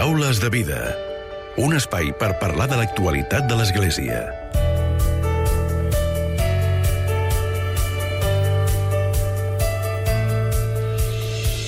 Paraules de vida. Un espai per parlar de l'actualitat de l'Església.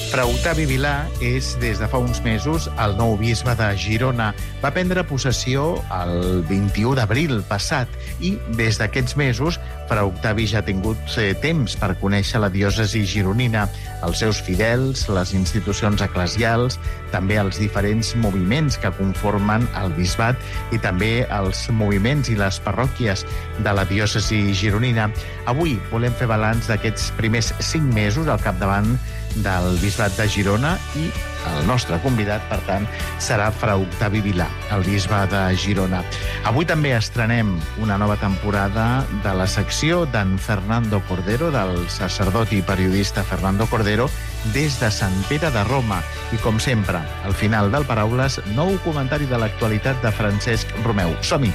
Fra Octavi Vilà és, des de fa uns mesos, el nou bisbe de Girona. Va prendre possessió el 21 d'abril passat i, des d'aquests mesos, Fra Octavi ja ha tingut temps per conèixer la diòcesi gironina, els seus fidels, les institucions eclesials, també els diferents moviments que conformen el bisbat i també els moviments i les parròquies de la diòcesi gironina. Avui volem fer balanç d'aquests primers 5 mesos al capdavant del bisbat de Girona i el nostre convidat, per tant, serà Fra Octavi Vilà, el bisbe de Girona. Avui també estrenem una nova temporada de la secció d'en Fernando Cordero, del sacerdot i periodista Fernando Cordero, des de Sant Pere de Roma. I, com sempre, al final del Paraules, nou comentari de l'actualitat de Francesc Romeu. Som-hi!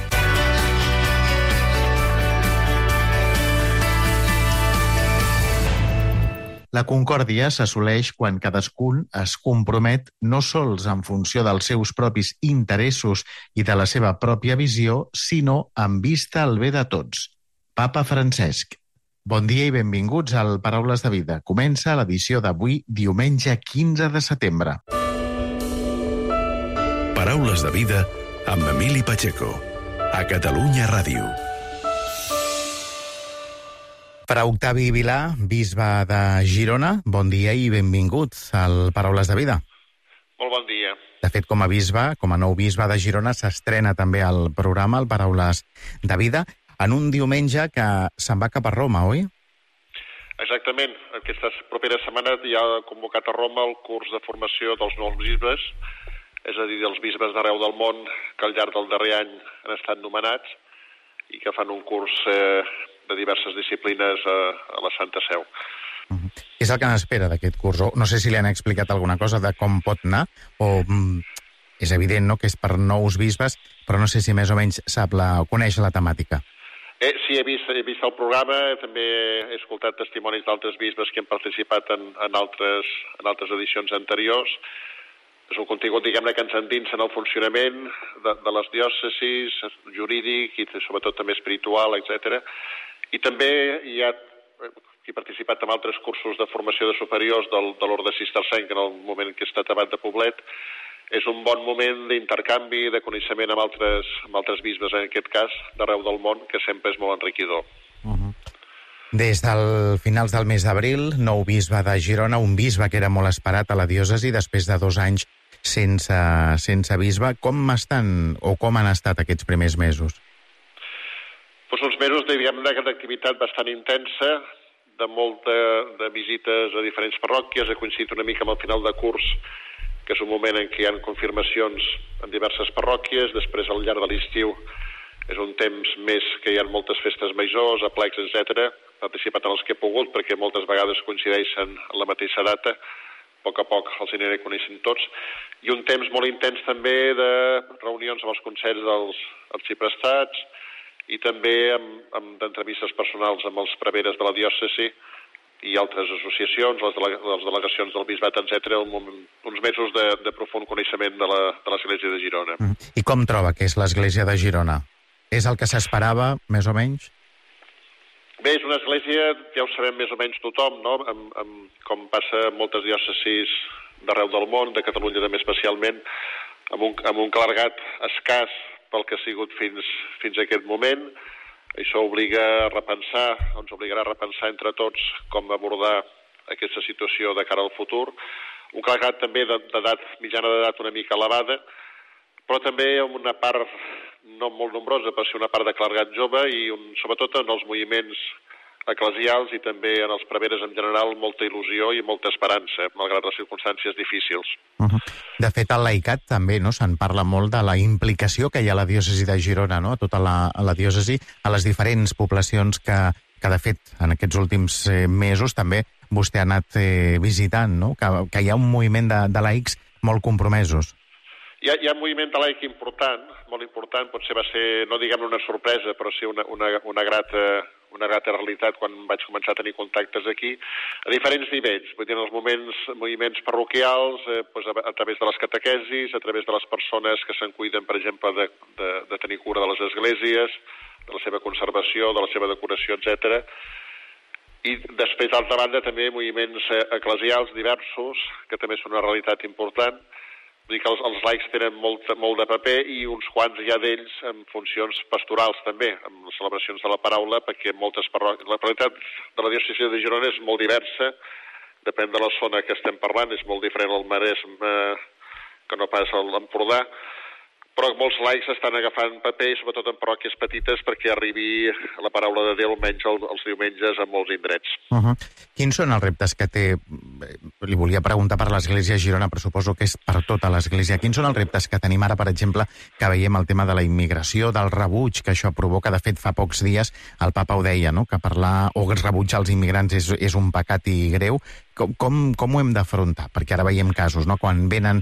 La concòrdia s'assoleix quan cadascun es compromet no sols en funció dels seus propis interessos i de la seva pròpia visió, sinó en vista al bé de tots. Papa Francesc. Bon dia i benvinguts al Paraules de Vida. Comença l'edició d'avui, diumenge 15 de setembre. Paraules de vida amb Emili Pacheco, a Catalunya Ràdio. Fra Octavi Vilà, bisbe de Girona, bon dia i benvinguts al Paraules de Vida. Molt bon dia. De fet, com a bisbe, com a nou bisbe de Girona, s'estrena també el programa, el Paraules de Vida, en un diumenge que se'n va cap a Roma, oi? Exactament. Aquesta propera setmana ja ha convocat a Roma el curs de formació dels nous bisbes, és a dir, dels bisbes d'arreu del món que al llarg del darrer any han estat nomenats i que fan un curs de diverses disciplines a la Santa Seu. Què és el que n'espera d'aquest curs? No sé si li han explicat alguna cosa de com pot anar, o és evident, no?, que és per nous bisbes, però no sé si més o menys sap coneix la temàtica. Sí, he vist el programa, també he escoltat testimonis d'altres bisbes que han participat en altres edicions anteriors. És un contingut, diguem-ne, que ens endinsa en el funcionament de les diòcesis, jurídic i sobretot també espiritual, etc. I també hi ha qui ha participat en altres cursos de formació de superiors de l'Orde Cistercenc en el moment en què ha estat abat de Poblet. És un bon moment d'intercanvi, de coneixement amb altres bisbes, en aquest cas, d'arreu del món, que sempre és molt enriquidor. Des del finals del mes d'abril, nou bisbe de Girona, un bisbe que era molt esperat a la diòcesi després de 2 anys sense bisbe. Com han estat aquests primers mesos? Doncs uns mesos, diguem-ne, d'activitat bastant intensa, de visites a diferents parròquies. Ha coincidit una mica amb el final de curs, que és un moment en què hi ha confirmacions en diverses parròquies. Després, al llarg de l'estiu, és un temps més que hi ha moltes festes majors, aplecs, etc. He participat en els que he pogut, perquè moltes vegades coincideixen en la mateixa data. A poc els aniré coneixent tots. I un temps molt intens també de reunions amb els consells dels arxiprestats i també d'entrevistes personals amb els preveres de la diòcesi i altres associacions, les delegacions del bisbat, etc. Uns mesos de profund coneixement de l'Església de Girona. I com troba que és l'Església de Girona? És el que s'esperava, més o menys? Bé, és una església, ja ho sabem més o menys tothom, no? Com passa en moltes diòcesis d'arreu del món, de Catalunya també especialment, amb un clergat escàs pel que ha sigut fins a aquest moment. Això ens obligarà a repensar entre tots com abordar aquesta situació de cara al futur. Un clergat també mitjana d'edat una mica elevada, però també amb una part no molt nombrosa, però sí una part de clergat jove i sobretot en els moviments eclesials i també en els preveres en general molta il·lusió i molta esperança, malgrat les circumstàncies difícils. De fet, al laicat també se'n parla molt de la implicació que hi ha a la diòcesi de Girona, no? A tota la diòcesi, a les diferents poblacions que de fet en aquests últims mesos també vostè ha anat visitant, no? Que hi ha un moviment de laics molt compromesos. Hi ha un moviment de laic important, molt important, potser va ser, no diguem una sorpresa, però sí una grata una grata realitat quan vaig començar a tenir contactes aquí, a diferents nivells. Vull dir, en els moviments parroquials, a través de les catequesis, a través de les persones que se'n cuiden, per exemple, de tenir cura de les esglésies, de la seva conservació, de la seva decoració, etc. I després, d'altra banda, també moviments eclesials diversos, que també són una realitat important. Vull dir que els laics tenen molt de paper i uns quants ja d'ells amb funcions pastorals també, amb les celebracions de la paraula, perquè moltes parròquies... La realitat de la diòcesi de Girona és molt diversa, depèn de la zona que estem parlant, és molt diferent al Maresme que no pas a l'Empordà, però molts laics estan agafant paper, sobretot en parròquies petites, perquè arribi la paraula de Déu almenys els diumenges a molts indrets. Quins són els reptes que té... Li volia preguntar per l'Església de Girona, però suposo que és per tota l'Església. Quins són els reptes que tenim ara, per exemple, que veiem el tema de la immigració, del rebuig que això provoca? De fet, fa pocs dies el papa ho deia, no?, que parlar o rebutjar els immigrants és un pecat i greu. Com ho hem d'afrontar? Perquè ara veiem casos, no?, quan venen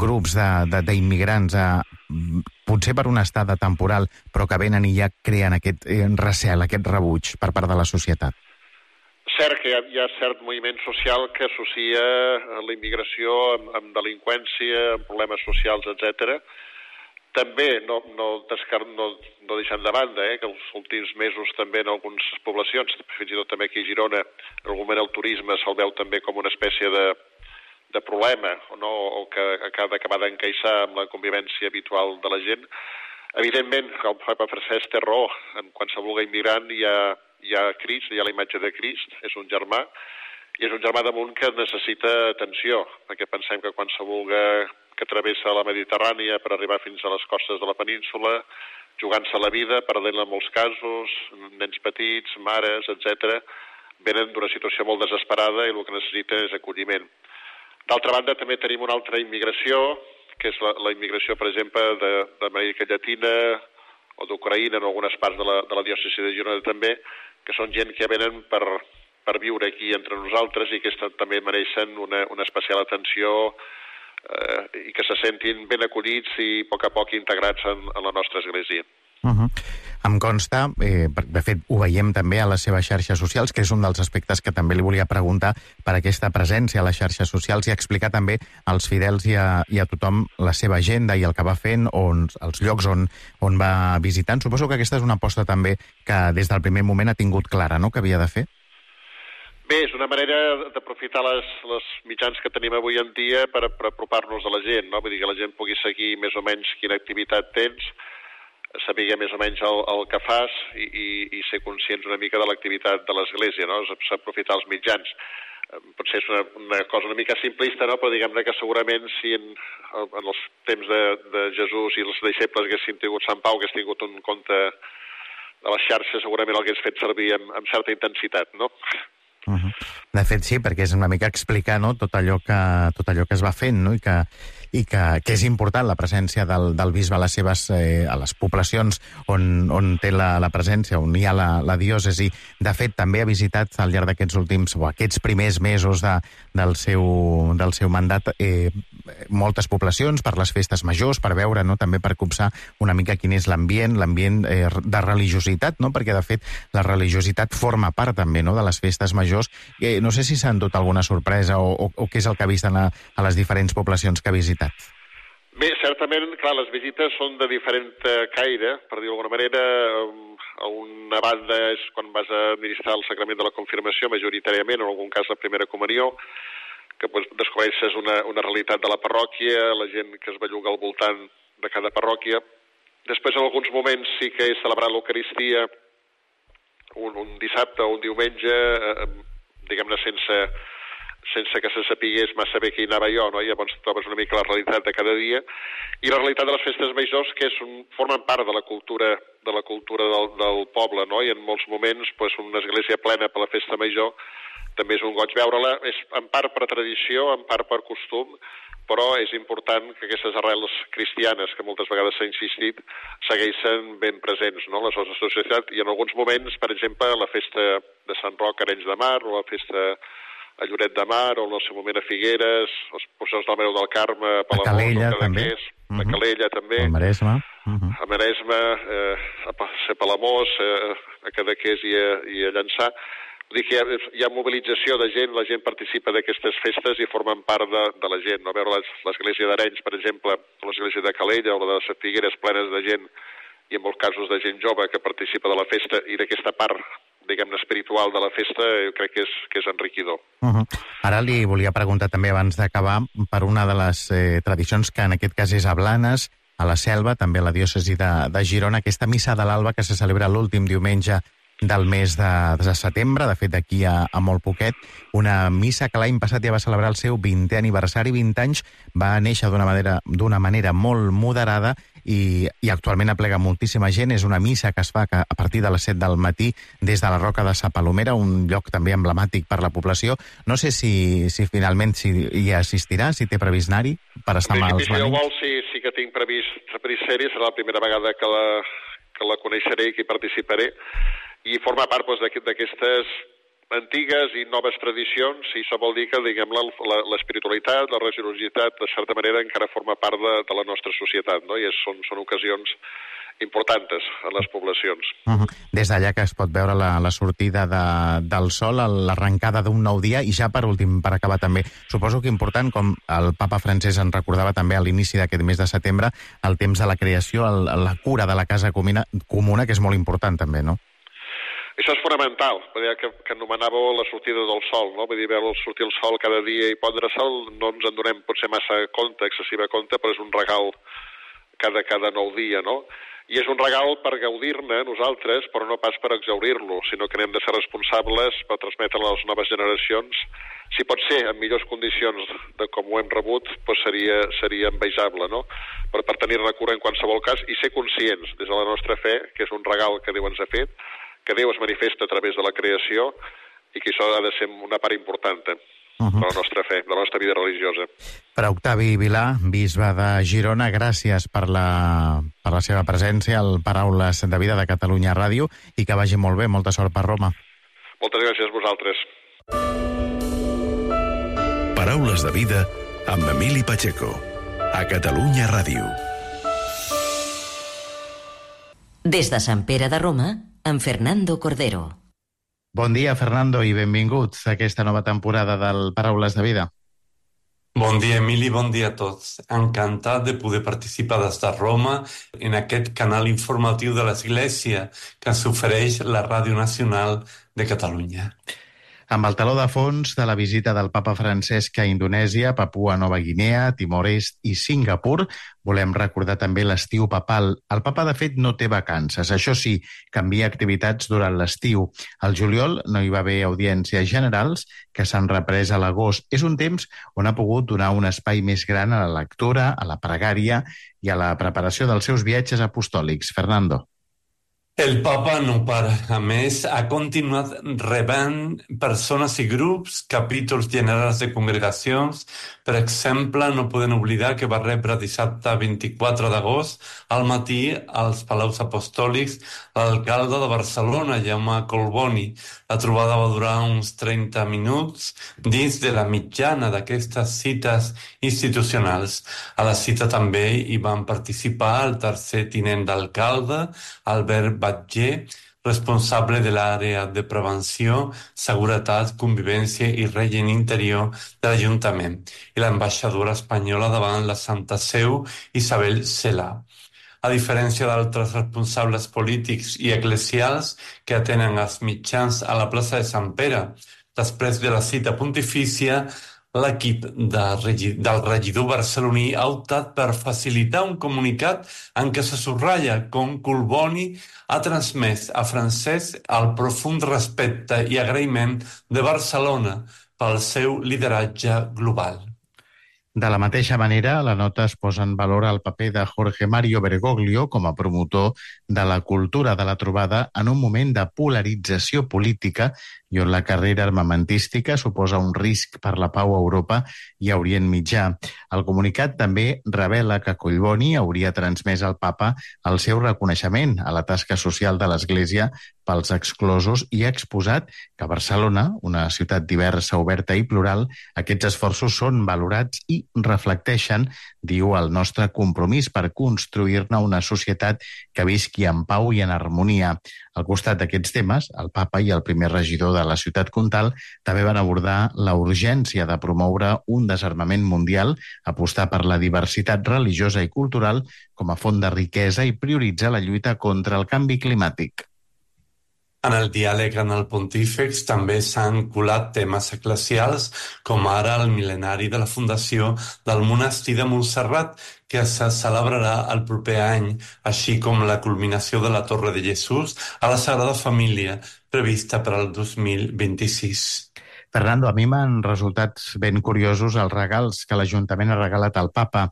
grups d'immigrants potser per una estada temporal, però que venen i ja creen aquest recel, aquest rebuig per part de la societat. Cert que hi ha cert moviment social que associa la immigració amb delinqüència, amb problemes socials, etc. També no deixant de banda que els últims mesos també en algunes poblacions, fins i tot també aquí a Girona, en algun moment el turisme se'l veu també com una espècie de problema, no? O que ha d'acabar d'encaixar amb la convivència habitual de la gent. Evidentment, el papa Francesc té raó, en qualsevol immigrant hi ha Crist, hi ha la imatge de Crist, és un germà, i és un germà damunt que necessita atenció, perquè pensem que qualsevol que travessa la Mediterrània per arribar fins a les costes de la península, jugant-se la vida, perdent-la en molts casos, nens petits, mares, etc., venen d'una situació molt desesperada i el que necessiten és acolliment. D'altra banda, també tenim una altra immigració, que és la immigració, per exemple, d'Amèrica Llatina o d'Ucraïna, en algunes parts de la diòcesi de Girona també, que són gent que venen per viure aquí entre nosaltres i que també mereixen una especial atenció i que se sentin ben acollits i a poc integrats en la nostra església. Em consta, de fet ho veiem també a les seves xarxes socials, que és un dels aspectes que també li volia preguntar per aquesta presència a les xarxes socials i explicar també als fidels i a tothom la seva agenda i el que va fent, els llocs on va visitant. Suposo que aquesta és una aposta també que des del primer moment ha tingut clara, no?, que havia de fer. Bé, és una manera d'aprofitar les mitjans que tenim avui en dia per apropar-nos a la gent, no? Vull dir que la gent pugui seguir més o menys quina activitat tens, saber més o menys el que fas i ser conscients una mica de l'activitat de l'Església, no? És aprofitar els mitjans. Potser és una cosa una mica simplista, no? Però diguem-ne que segurament si en els temps de Jesús i els deixebles haguessin tingut Sant Pau, hagués tingut un compte de les xarxes, segurament l'hagués fet servir amb certa intensitat, no? De fet, sí, perquè és una mica explicar, no?, tot allò que es va fent, no?, i que és important la presència del bisbe a les poblacions on té la presència, on hi ha la diòcesi. De fet, també ha visitat al llarg aquests primers mesos del seu mandat moltes poblacions per les festes majors, per veure, no?, també per copsar una mica quin és l'ambient de religiositat, no?, perquè de fet la religiositat forma part també, no?, de les festes majors. No sé si s'ha endut alguna sorpresa o què és el que ha vist a les diferents poblacions que ha visitat. Bé, certament, clar, les visites són de diferent caire, per dir-ho d'alguna manera. A una banda és quan vas a administrar el sacrament de la confirmació, majoritàriament, en algun cas la primera comunió, que descobreixes una realitat de la parròquia, la gent que es belluga al voltant de cada parròquia. Després, en alguns moments, sí que he celebrat l'Eucaristia un dissabte o un diumenge, diguem-ne, sense que se sapigués massa bé qui anava jo, no? I llavors trobes una mica la realitat de cada dia. I la realitat de les festes majors, que formen part de la cultura del poble, no? I en molts moments, una església plena per la festa major també és un goig veure-la. És en part per tradició, en part per costum, però és important que aquestes arrels cristianes, que moltes vegades s'ha insistit, segueixen ben presents, no?, a la nostra societat. I en alguns moments, per exemple, la festa de Sant Roc a Arenys de Mar, o la festa a Lloret de Mar, o en el seu moment a Figueres, els processos del Mareu del Carme, a Palamós, Calella, també. A Calella, també. El Maresme. a Maresme, a Palamós, a Cadaqués i a Llançà. Vull dir que hi ha mobilització de gent, la gent participa d'aquestes festes i formen part de la gent. A veure l'església d'Arenys, per exemple, l'església de Calella o la de les Figueres plenes de gent, i en molts casos de gent jove que participa de la festa, i d'aquesta part, diguem-ne, espiritual de la festa, jo crec que és enriquidor. Ara li volia preguntar també, abans d'acabar, per una de les tradicions que en aquest cas és a Blanes, a la Selva, també a la diòcesi de Girona, aquesta missa de l'alba que se celebra l'últim diumenge del mes de setembre, de fet d'aquí a molt poquet, una missa que l'any passat ja va celebrar el seu 20è aniversari, 20 anys, va néixer d'una manera molt moderada i actualment aplega moltíssima gent. És una missa que es fa a partir de les 7 del matí des de la Roca de Sa Palomera, un lloc també emblemàtic per la població. No sé si finalment hi assistirà, si té previst anar-hi per estar amb els veïns. Si ho vol, sí que tinc previst ser-hi, serà la primera vegada que la coneixeré i que hi participaré, i forma part d'aquestes antigues i noves tradicions, i això vol dir que, diguem-ne, l'espiritualitat, la religiositat, de certa manera, encara forma part de la nostra societat, no? I són ocasions importants en les poblacions. Des d'allà que es pot veure la sortida del sol, l'arrencada d'un nou dia, i ja per últim, per acabar també, suposo que important, com el papa Francesc en recordava també a l'inici d'aquest mes de setembre, el temps de la creació, la cura de la casa comuna, que és molt important també, no? Això és fonamental, que anomenàveu la sortida del sol, no? Vull dir, veure sortir el sol cada dia i pondre-se'l, no ens en donem potser massa compte, excessiva compte, però és un regal cada nou dia, no? I és un regal per gaudir-ne nosaltres, però no pas per exaurir-lo, sinó que n'hem de ser responsables per transmetre a les noves generacions. Si pot ser en millors condicions de com ho hem rebut, doncs seria envejable, no? Per tenir-ne cura en qualsevol cas i ser conscients des de la nostra fe, que és un regal que Déu ens ha fet, que Déu es manifesta a través de la creació i que això ha de ser una part important de la nostra fe, de la nostra vida religiosa. Per Octavi Vilà, bisbe de Girona, gràcies per la seva presència al Paraules de Vida de Catalunya Ràdio i que vagi molt bé. Molta sort per Roma. Moltes gràcies a vosaltres. Paraules de Vida amb Emili Pacheco, a Catalunya Ràdio. Des de Sant Pere de Roma, amb Fernando Cordero. Bon dia, Fernando, i benvinguts a aquesta nova temporada del Paraules de Vida. Bon dia, Emili, bon dia a tots. Encantat de poder participar des de Roma en aquest canal informatiu de l'Església que ens ofereix la Ràdio Nacional de Catalunya. Amb el teló de fons de la visita del papa Francesc a Indonèsia, Papua Nova Guinea, Timor-Est i Singapur, volem recordar també l'estiu papal. El papa, de fet, no té vacances. Això sí, canvia activitats durant l'estiu. Al juliol no hi va haver audiències generals, que s'han reprès a l'agost. És un temps on ha pogut donar un espai més gran a la lectura, a la pregària i a la preparació dels seus viatges apostòlics. Fernando. El papa no para. A més, ha continuat rebent persones i grups, capítols generals de congregacions. Per exemple, no podem oblidar que va rebre dissabte 24 d'agost al matí als Palaus Apostòlics l'alcalde de Barcelona, Jaume Collboni. La trobada va durar uns 30 minuts dins de la mitjana d'aquestes cites institucionals. A la cita també hi van participar el tercer tinent d'alcalde, Albert Batller, responsable de l'àrea de prevenció, seguretat, convivència i règim interior de l'Ajuntament, i l'ambaixadora espanyola davant la Santa Seu, Isabel Cela. A diferència d'altres responsables polítics i eclesials que atenen els mitjans a la plaça de Sant Pere, després de la cita pontifícia, l'equip del regidor barceloní ha optat per facilitar un comunicat en què se subratlla com Collboni ha transmès a Francesc el profund respecte i agraïment de Barcelona pel seu lideratge global. De la mateixa manera, a la nota es posa en valor el paper de Jorge Mario Bergoglio com a promotor de la cultura de la trobada en un moment de polarització política i on la carrera armamentística suposa un risc per la pau a Europa i a Orient Mitjà. El comunicat també revela que Collboni hauria transmès al papa el seu reconeixement a la tasca social de l'Església pels exclosos i ha exposat que a Barcelona, una ciutat diversa, oberta i plural, aquests esforços són valorats i reflecteixen, diu, el nostre compromís per construir-ne una societat que visqui en pau i en harmonia. Al costat d'aquests temes, el papa i el primer regidor de la ciutat comtal també van abordar la urgència de promoure un desarmament mundial, apostar per la diversitat religiosa i cultural com a font de riquesa i prioritzar la lluita contra el canvi climàtic. En el diàleg en el Pontífex també s'han colat temes eclesials, com ara el mil·lenari de la fundació del monestir de Montserrat, que se celebrarà el proper any, així com la culminació de la Torre de Jesús a la Sagrada Família, prevista per al 2026. Fernando, a mi m'han resultat ben curiosos els regals que l'Ajuntament ha regalat al papa.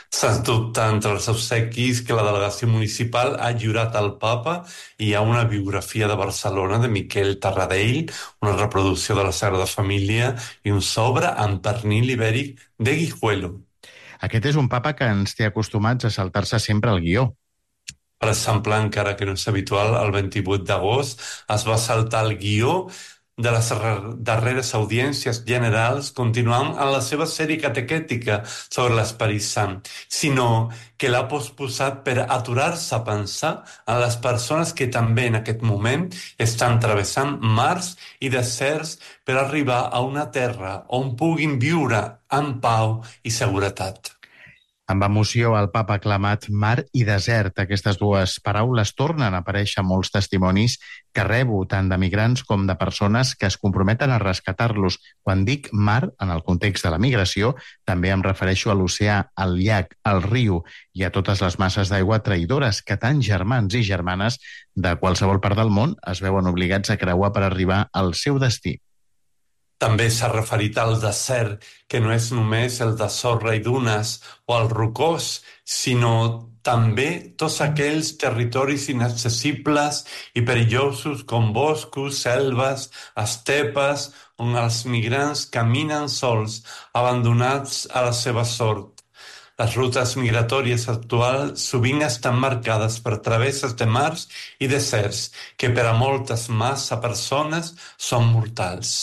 Sens dubte, entre els obsequis que la delegació municipal ha lliurat al papa hi ha una biografia de Barcelona de Miquel Tarradell, una reproducció de la Sagrada Família i un sobre amb pernil ibèric de Guijuelo. Aquest és un papa que ens té acostumats a saltar-se sempre el guió. Per exemple, encara que no és habitual, el 28 d'agost es va saltar el guió de les darreres audiències generals, continuant en la seva sèrie catequètica sobre l'Esperit Sant, sinó que l'ha posposat per aturar-se a pensar en les persones que també en aquest moment estan travessant mars i deserts per arribar a una terra on puguin viure en pau i seguretat. Amb emoció, el papa ha aclamat mar i desert. Aquestes dues paraules tornen a aparèixer en molts testimonis que rebo tant de migrants com de persones que es comprometen a rescatar-los. Quan dic mar, en el context de la migració, també em refereixo a l'oceà, al llac, al riu i a totes les masses d'aigua traïdores que tant germans i germanes de qualsevol part del món es veuen obligats a creuar per arribar al seu destí. També s'ha referit al desert, que no és només el de sorra i dunes o el rocós, sinó també tots aquells territoris inaccessibles i perillosos com boscos, selves, estepes, on els migrants caminen sols, abandonats a la seva sort. Les rutes migratòries actuals sovint estan marcades per travesses de mars i deserts que per a moltes massa persones són mortals.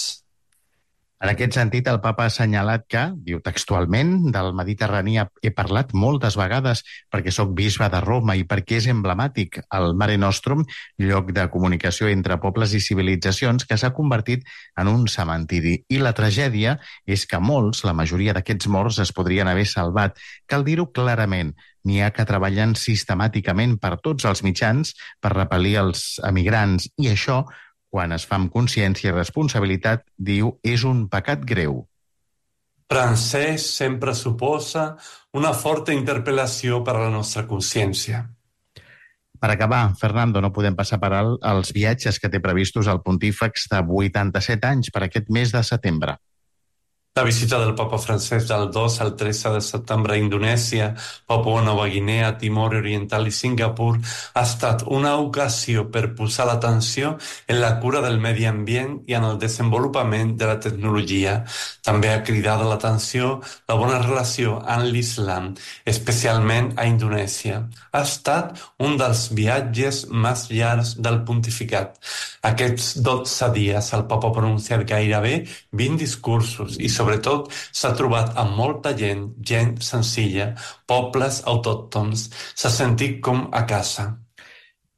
En aquest sentit, el papa ha assenyalat que, diu textualment, del Mediterrani he parlat moltes vegades perquè sóc bisbe de Roma i perquè és emblemàtic el Mare Nostrum, lloc de comunicació entre pobles i civilitzacions que s'ha convertit en un cementiri. I la tragèdia és que molts, la majoria d'aquests morts, es podrien haver salvat. Cal dir-ho clarament. N'hi ha que treballen sistemàticament per tots els mitjans per repel·lir els emigrants i això, quan es fa amb consciència i responsabilitat, diu, és un pecat greu. Francès sempre suposa una forta interpel·lació per a la nostra consciència. Per acabar, Fernando, no podem passar per alt els viatges que té previstos el Pontífex de 87 anys per aquest mes de setembre. La visita del papa francès del 2 al 13 de setembre a Indonèsia, Papua Nova Guinea, Timor Oriental i Singapur ha estat una ocasió per posar l'atenció en la cura del medi ambient i en el desenvolupament de la tecnologia. També ha cridat l'atenció la bona relació amb l'Islam, especialment a Indonèsia. Ha estat un dels viatges més llargs del pontificat. Aquests 12 dies el papa ha pronunciat gairebé 20 discursos i sobretot s'ha trobat amb molta gent senzilla, pobles autòctons. S'ha sentit com a casa.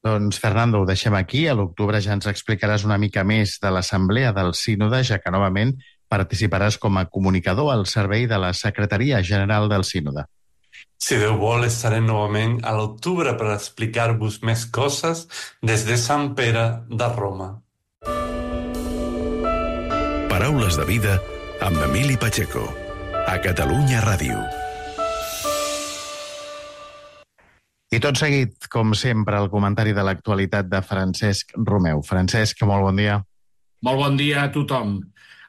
Doncs, Fernando, ho deixem aquí. A l'octubre ja ens explicaràs una mica més de l'Assemblea del Sínode, ja que novament participaràs com a comunicador al servei de la Secretaria General del Sínode. Si Déu vol, estarem novament a l'octubre per explicar-vos més coses des de Sant Pere de Roma. Paraules de vida amb Emili Pacheco, a Catalunya Ràdio. I tot seguit, com sempre, el comentari de l'actualitat de Francesc Romeu. Francesc, molt bon dia. Molt bon dia a tothom.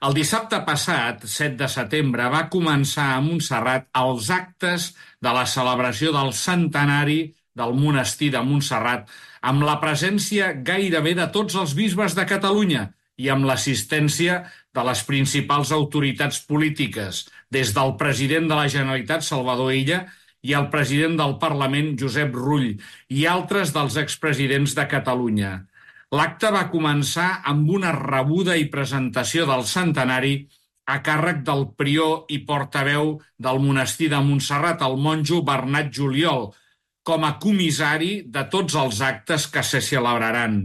El dissabte passat, 7 de setembre, va començar a Montserrat els actes de la celebració del centenari del monestir de Montserrat, amb la presència gairebé de tots els bisbes de Catalunya i amb l'assistència de les principals autoritats polítiques, des del president de la Generalitat, Salvador Illa, i el president del Parlament, Josep Rull, i altres dels expresidents de Catalunya. L'acte va començar amb una rebuda i presentació del centenari a càrrec del prior i portaveu del monestir de Montserrat, el monjo Bernat Juliol, com a comissari de tots els actes que se celebraran.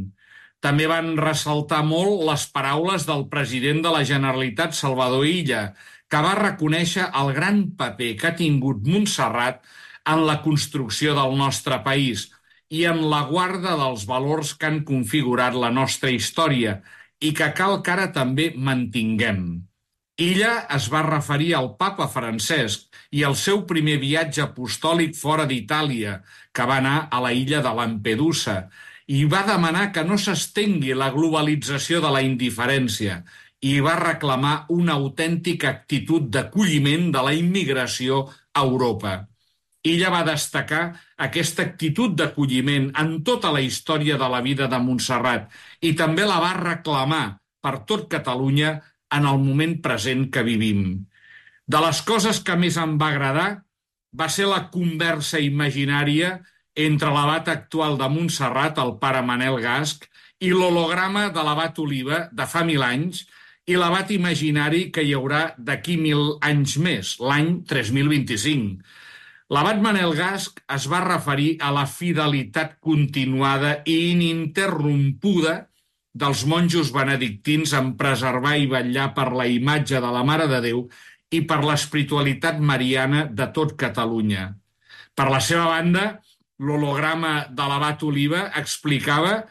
També van ressaltar molt les paraules del president de la Generalitat, Salvador Illa, que va reconèixer el gran paper que ha tingut Montserrat en la construcció del nostre país i en la guarda dels valors que han configurat la nostra història i que cal que ara també mantinguem. Illa es va referir al papa Francesc i al seu primer viatge apostòlic fora d'Itàlia, que va anar a la illa de Lampedusa, i va demanar que no s'estengui la globalització de la indiferència i va reclamar una autèntica actitud d'acolliment de la immigració a Europa. Illa va destacar aquesta actitud d'acolliment en tota la història de la vida de Montserrat i també la va reclamar per tot Catalunya en el moment present que vivim. De les coses que més em va agradar va ser la conversa imaginària entre l'abat actual de Montserrat, el pare Manel Gasch, i l'holograma de l'abat Oliva de fa 1000 anys i l'abat imaginari que hi haurà d'aquí 1000 anys més, l'any 3025. L'abat Manel Gasch es va referir a la fidelitat continuada i ininterrompuda dels monjos benedictins en preservar i vetllar per la imatge de la Mare de Déu i per l'espiritualitat mariana de tot Catalunya. Per la seva banda, l'holograma de l'abat Oliva explicava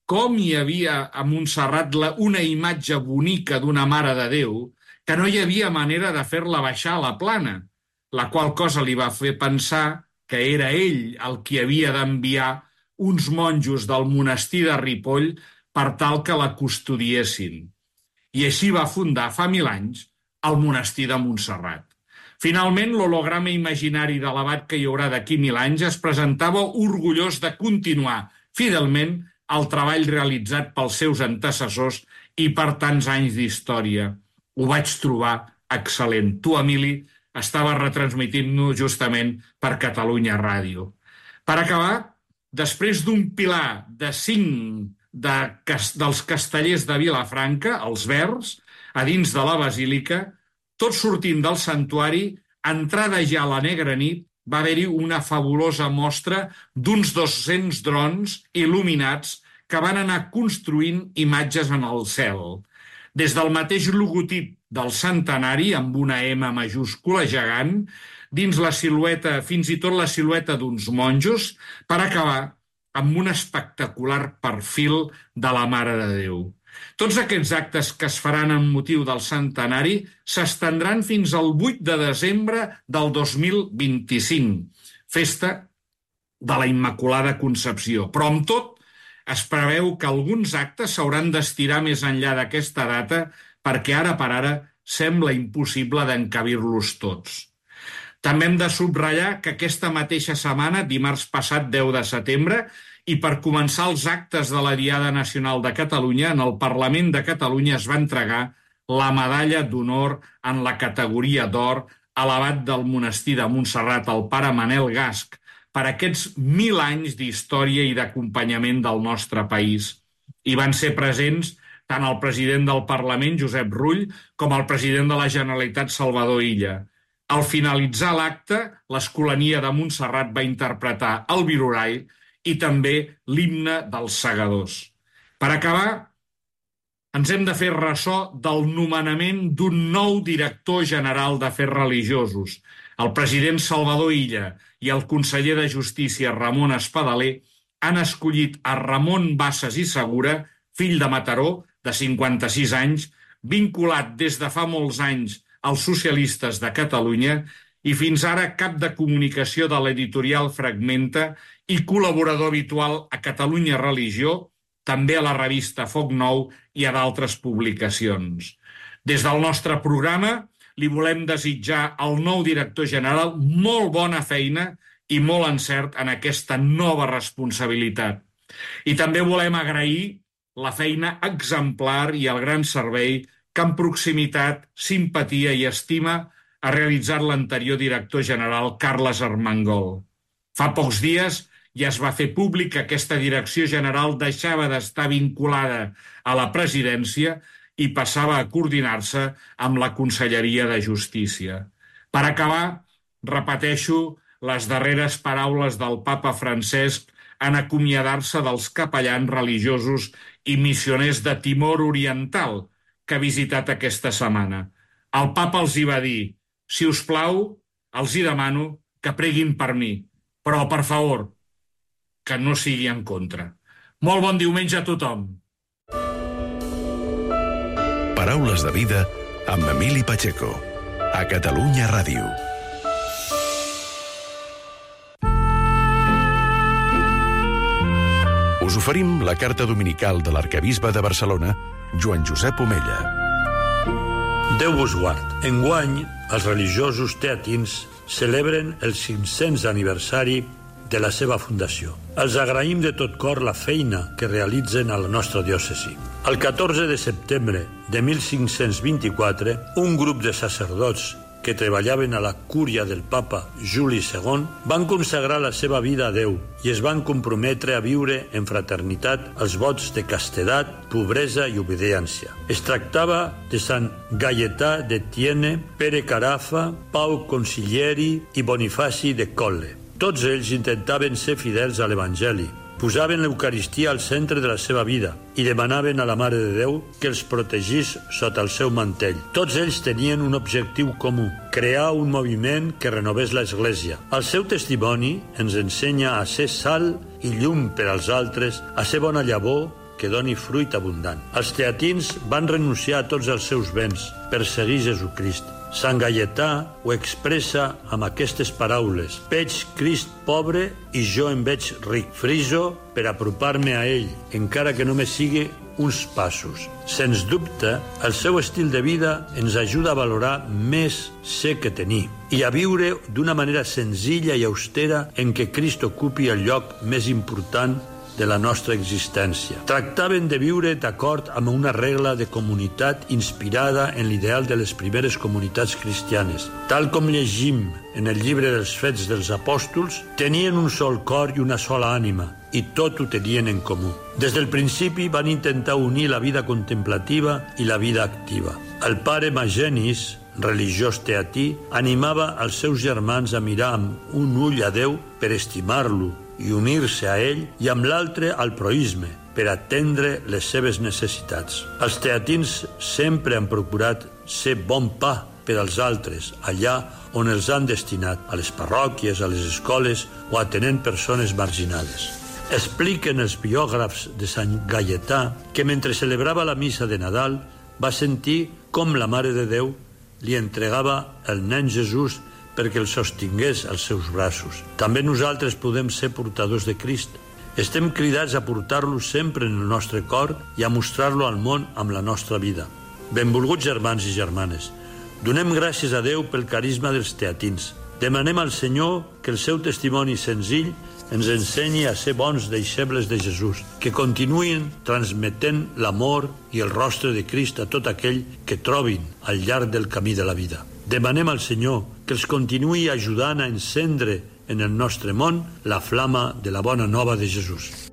com hi havia a Montserrat una imatge bonica d'una Mare de Déu que no hi havia manera de fer-la baixar a la plana, la qual cosa li va fer pensar que era ell el qui havia d'enviar uns monjos del monestir de Ripoll per tal que la custodiessin. I així va fundar fa 1000 anys el monestir de Montserrat. Finalment, l'holograma imaginari de l'abat que hi haurà d'aquí 1000 anys es presentava orgullós de continuar fidelment el treball realitzat pels seus antecessors i per tants anys d'història. Ho vaig trobar excel·lent. Tu, Emili, estaves retransmitint-nos justament per Catalunya Ràdio. Per acabar, després d'un pilar de 5 dels castellers de Vilafranca, els Verds, a dins de la basílica, tot sortint del santuari, entrada ja a la negra nit, va haver-hi una fabulosa mostra d'uns 200 drons il·luminats que van anar construint imatges en el cel. Des del mateix logotip del centenari, amb una M majúscula gegant, dins la silueta, fins i tot la silueta d'uns monjos, per acabar amb un espectacular perfil de la Mare de Déu. Tots aquests actes que es faran amb motiu del centenari s'estendran fins al 8 de desembre del 2025, festa de la Immaculada Concepció. Però amb tot, es preveu que alguns actes s'hauran d'estirar més enllà d'aquesta data perquè ara per ara sembla impossible d'encabir-los tots. També hem de subratllar que aquesta mateixa setmana, dimarts passat 10 de setembre, i per començar els actes de la Diada Nacional de Catalunya, en el Parlament de Catalunya es va entregar la medalla d'honor en la categoria d'or a l'abat del monestir de Montserrat, el pare Manel Gasch, per aquests 1000 anys d'història i d'acompanyament del nostre país. Hi van ser presents tant el president del Parlament, Josep Rull, com el president de la Generalitat, Salvador Illa. Al finalitzar l'acte, l'Escolania de Montserrat va interpretar el Virorall i també l'himne dels segadors. Per acabar, ens hem de fer ressò del nomenament d'un nou director general d'Afers Religiosos. El president Salvador Illa i el conseller de Justícia, Ramon Espadaler, han escollit a Ramon Bassas i Segura, fill de Mataró, de 56 anys, vinculat des de fa molts anys als socialistes de Catalunya i fins ara cap de comunicació de l'editorial Fragmenta i col·laborador habitual a Catalunya Religió, també a la revista Foc Nou i a d'altres publicacions. Des del nostre programa li volem desitjar al nou director general molt bona feina i molt encert en aquesta nova responsabilitat. I també volem agrair la feina exemplar i el gran servei que amb proximitat, simpatia i estima ha realitzat l'anterior director general Carles Armengol. Fa pocs dies i es va fer públic que aquesta direcció general deixava d'estar vinculada a la presidència i passava a coordinar-se amb la Conselleria de Justícia. Per acabar, repeteixo les darreres paraules del papa Francesc en acomiadar-se dels capellans religiosos i missioners de Timor Oriental que ha visitat aquesta setmana. El papa els hi va dir: si us plau, els hi demano que preguin per mi, però, per favor, que no sigui en contra. Molt bon diumenge a tothom. Paraules de vida amb Emili Pacheco, a Catalunya Ràdio. Us oferim la carta dominical de l'arquebisbe de Barcelona, Joan Josep Omella. Déu vos guard. Enguany, els religiosos teatins celebren el 500 aniversari de la seva fundació. Els agraïm de tot cor la feina que realitzen a la nostra diòcesi. El 14 de setembre de 1524, un grup de sacerdots que treballaven a la cúria del papa Juli II van consagrar la seva vida a Déu i es van comprometre a viure en fraternitat els vots de castedat, pobresa i obediència. Es tractava de Sant Gaietà de Tiene, Pere Carafa, Pau Consiglieri i Bonifaci de Colle. Tots ells intentaven ser fidels a l'Evangeli, posaven l'Eucaristia al centre de la seva vida i demanaven a la Mare de Déu que els protegís sota el seu mantell. Tots ells tenien un objectiu comú: crear un moviment que renovés l'Església. El seu testimoni ens ensenya a ser sal i llum per als altres, a ser bona llavor que doni fruit abundant. Els teatins van renunciar a tots els seus béns per seguir Jesucrist. Sant Gaietà ho expressa amb aquestes paraules: veig Crist pobre i jo em veig ric. Friso per apropar-me a ell, encara que només sigui uns passos. Sens dubte, el seu estil de vida ens ajuda a valorar més ser que tenir i a viure d'una manera senzilla i austera en què Crist ocupi el lloc més important de la nostra existència. Tractaven de viure d'acord amb una regla de comunitat inspirada en l'ideal de les primeres comunitats cristianes. Tal com llegim en el llibre dels Fets dels Apòstols, tenien un sol cor i una sola ànima, i tot ho tenien en comú. Des del principi van intentar unir la vida contemplativa i la vida activa. El pare Magenis, religiós teatí, animava els seus germans a mirar amb un ull a Déu per estimar-lo i unir-se a ell, i amb l'altre al proïsme, per atendre les seves necessitats. Els teatins sempre han procurat ser bon pa per als altres, allà on els han destinat, a les parròquies, a les escoles o atenent persones marginades. Expliquen els biògrafs de Sant Gaietà que mentre celebrava la missa de Nadal va sentir com la Mare de Déu li entregava el nen Jesús perquè el sostingués als seus braços. També nosaltres podem ser portadors de Crist. Estem cridats a portar-lo sempre en el nostre cor i a mostrar-lo al món amb la nostra vida. Benvolguts germans i germanes, donem gràcies a Déu pel carisma dels teatins. Demanem al Senyor que el seu testimoni senzill ens ensenyi a ser bons deixebles de Jesús, que continuïn transmetent l'amor i el rostre de Crist a tot aquell que trobin al llarg del camí de la vida. Demanem al Senyor que els continuï ajudant a encendre en el nostre món la flama de la bona nova de Jesús.